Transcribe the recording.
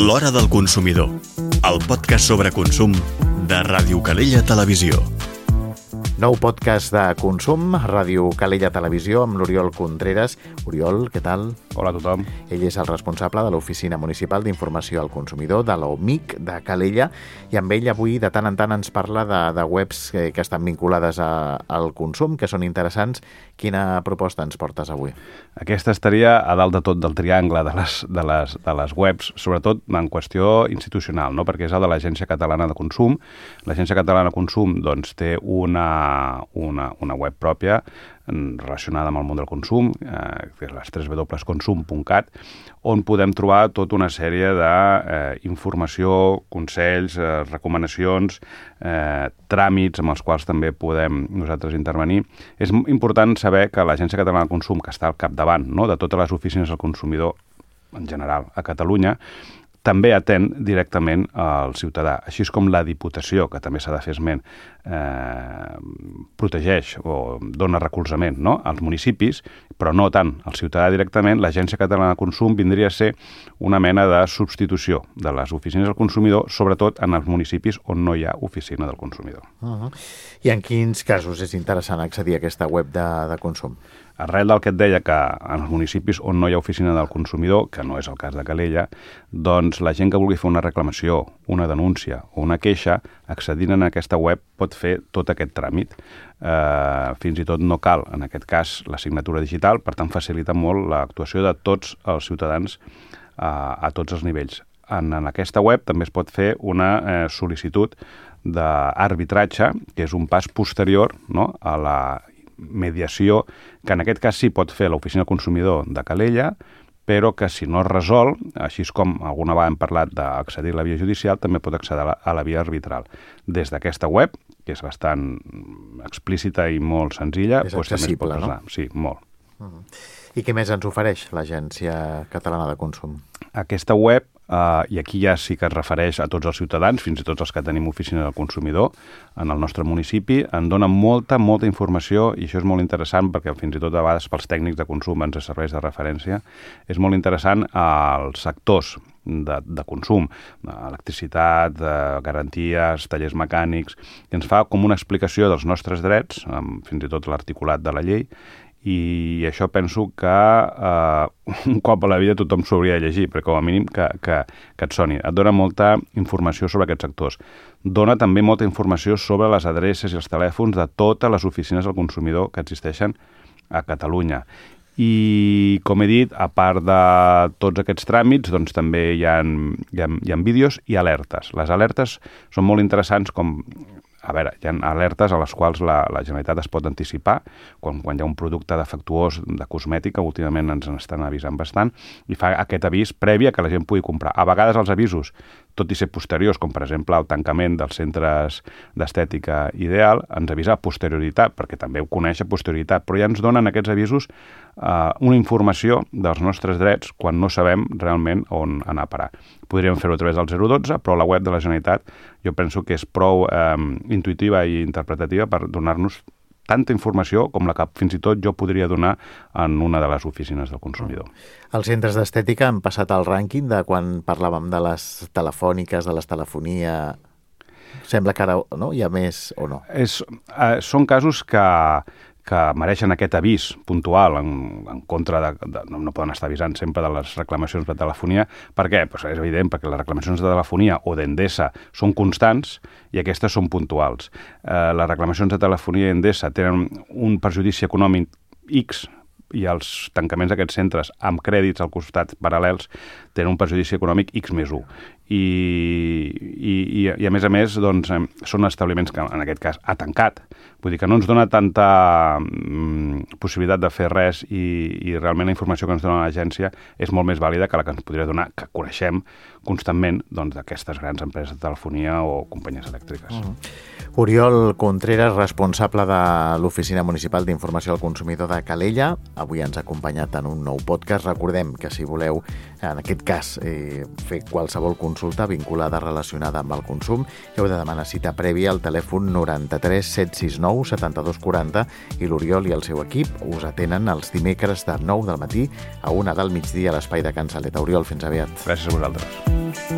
L'Hora del Consumidor, el podcast sobre consum de Ràdio Calella Televisió. Nou podcast de consum, Ràdio Calella Televisió, amb l'Oriol Contreras. Oriol, què tal? Hola a tothom. Ell és el responsable de l'Oficina Municipal d'Informació al Consumidor, de l'OMIC de Calella, i amb ell avui de tant en tant ens parla de webs que estan vinculades al consum, que són interessants. Quina proposta ens portes avui? Aquesta estaria a dalt de tot del triangle de les webs, sobretot en qüestió institucional, no? Perquè és el de l'Agència Catalana de Consum. L'Agència Catalana de Consum doncs, té una web pròpia relacionada amb el món del consum, que és les www.consum.cat, on podem trobar tota una sèrie d'informació, consells, recomanacions, tràmits amb els quals també podem nosaltres intervenir. És important saber que l'Agència Catalana de Consum, que està al capdavant, no?, de totes les oficines del consumidor en general a Catalunya, també atén directament al ciutadà, així com la Diputació, que també s'ha de fer esment, protegeix o dona recolzament, no?, als municipis, però no tant al ciutadà directament. L'Agència Catalana de Consum vindria a ser una mena de substitució de les oficines del consumidor, sobretot en els municipis on no hi ha oficina del consumidor. I en quins casos és interessant accedir a aquesta web de consum? Arrel del que et deia, que en els municipis on no hi ha oficina del consumidor, que no és el cas de Calella, doncs la gent que vulgui fer una reclamació, una denúncia o una queixa, accedint a aquesta web pot fer tot aquest tràmit. Fins i tot no cal, en aquest cas, la signatura digital, per tant facilita molt l'actuació de tots els ciutadans a tots els nivells. En aquesta web també es pot fer una sol·licitud d'arbitratge, que és un pas posterior, no?, a la mediació, que en aquest cas sí pot fer l'Oficina del Consumidor de Calella, però que si no es resol, així com alguna vegada hem parlat d'accedir a la via judicial, també pot accedir a la via arbitral. Des d'aquesta web, que és bastant explícita i molt senzilla... És accessible, no? Sí, molt. I què més ens ofereix l'Agència Catalana de Consum? Aquesta web, i aquí ja sí que es refereix a tots els ciutadans, fins i tot els que tenim oficina del consumidor en el nostre municipi, en dona molta informació, i això és molt interessant perquè fins i tot a vegades pels tècnics de consum ens serveix de referència. És molt interessant als sectors de consum, electricitat, garanties, tallers mecànics, i ens fa com una explicació dels nostres drets, fins i tot l'articulat de la llei, i això penso que un cop a la vida tothom s'ho hauria de llegir, però com a mínim que et soni. Et dona molta informació sobre aquests sectors. Dona també molta informació sobre les adreces i els telèfons de totes les oficines del consumidor que existeixen a Catalunya. I, com he dit, a part de tots aquests tràmits, doncs també hi ha vídeos i alertes. Les alertes són molt interessants com... A veure, hi ha alertes a les quals la Generalitat es pot anticipar quan hi ha un producte defectuós de cosmètica, últimament ens estan avisant bastant, i fa aquest avís previ a que la gent pugui comprar. A vegades els avisos, tot i ser posteriors, com per exemple el tancament dels centres d'estètica Ideal, ens avisa a posterioritat, perquè també ho coneix a posterioritat, però ja ens donen aquests avisos una informació dels nostres drets quan no sabem realment on anar a parar. Podríem fer-ho a través del 012, però la web de la Generalitat jo penso que és prou intuïtiva i interpretativa per donar-nos tanta informació com la que fins i tot jo podria donar en una de les oficines del consumidor. Els centres d'estètica han passat al rànquing de quan parlàvem de les telefòniques, de les telefonia... Sembla que ara no? Hi ha més o no? Són casos que mereixen aquest avís puntual en contra de... No poden estar avisant sempre de les reclamacions de telefonia. Per què? Pues és evident, perquè les reclamacions de telefonia o d'Endesa són constants i aquestes són puntuals. Les reclamacions de telefonia i Endesa tenen un perjudici econòmic X i els tancaments d'aquests centres amb crèdits al costat paral·lels tenen un perjudici econòmic X més 1. I a més, doncs, són establiments que en aquest cas ha tancat. Vull dir que no ens dona tanta possibilitat de fer res i realment la informació que ens dona l'agència és molt més vàlida que la que ens podria donar, que coneixem constantment doncs, d'aquestes grans empreses de telefonia o companyies elèctriques. Oriol Contreras, responsable de l'Oficina Municipal d'Informació al Consumidor de Calella. Avui ens ha acompanyat en un nou podcast. Recordem que si voleu, en aquest cas, fer qualsevol consulta vinculada relacionada amb el consum, heu de demanar cita prèvia al telèfon 93 769 72 40 i l'Oriol i el seu equip us atenen els dimecres de 9 del matí a 1 del migdia a l'espai de Can Saleta. Oriol, fins aviat. Gràcies a vosaltres.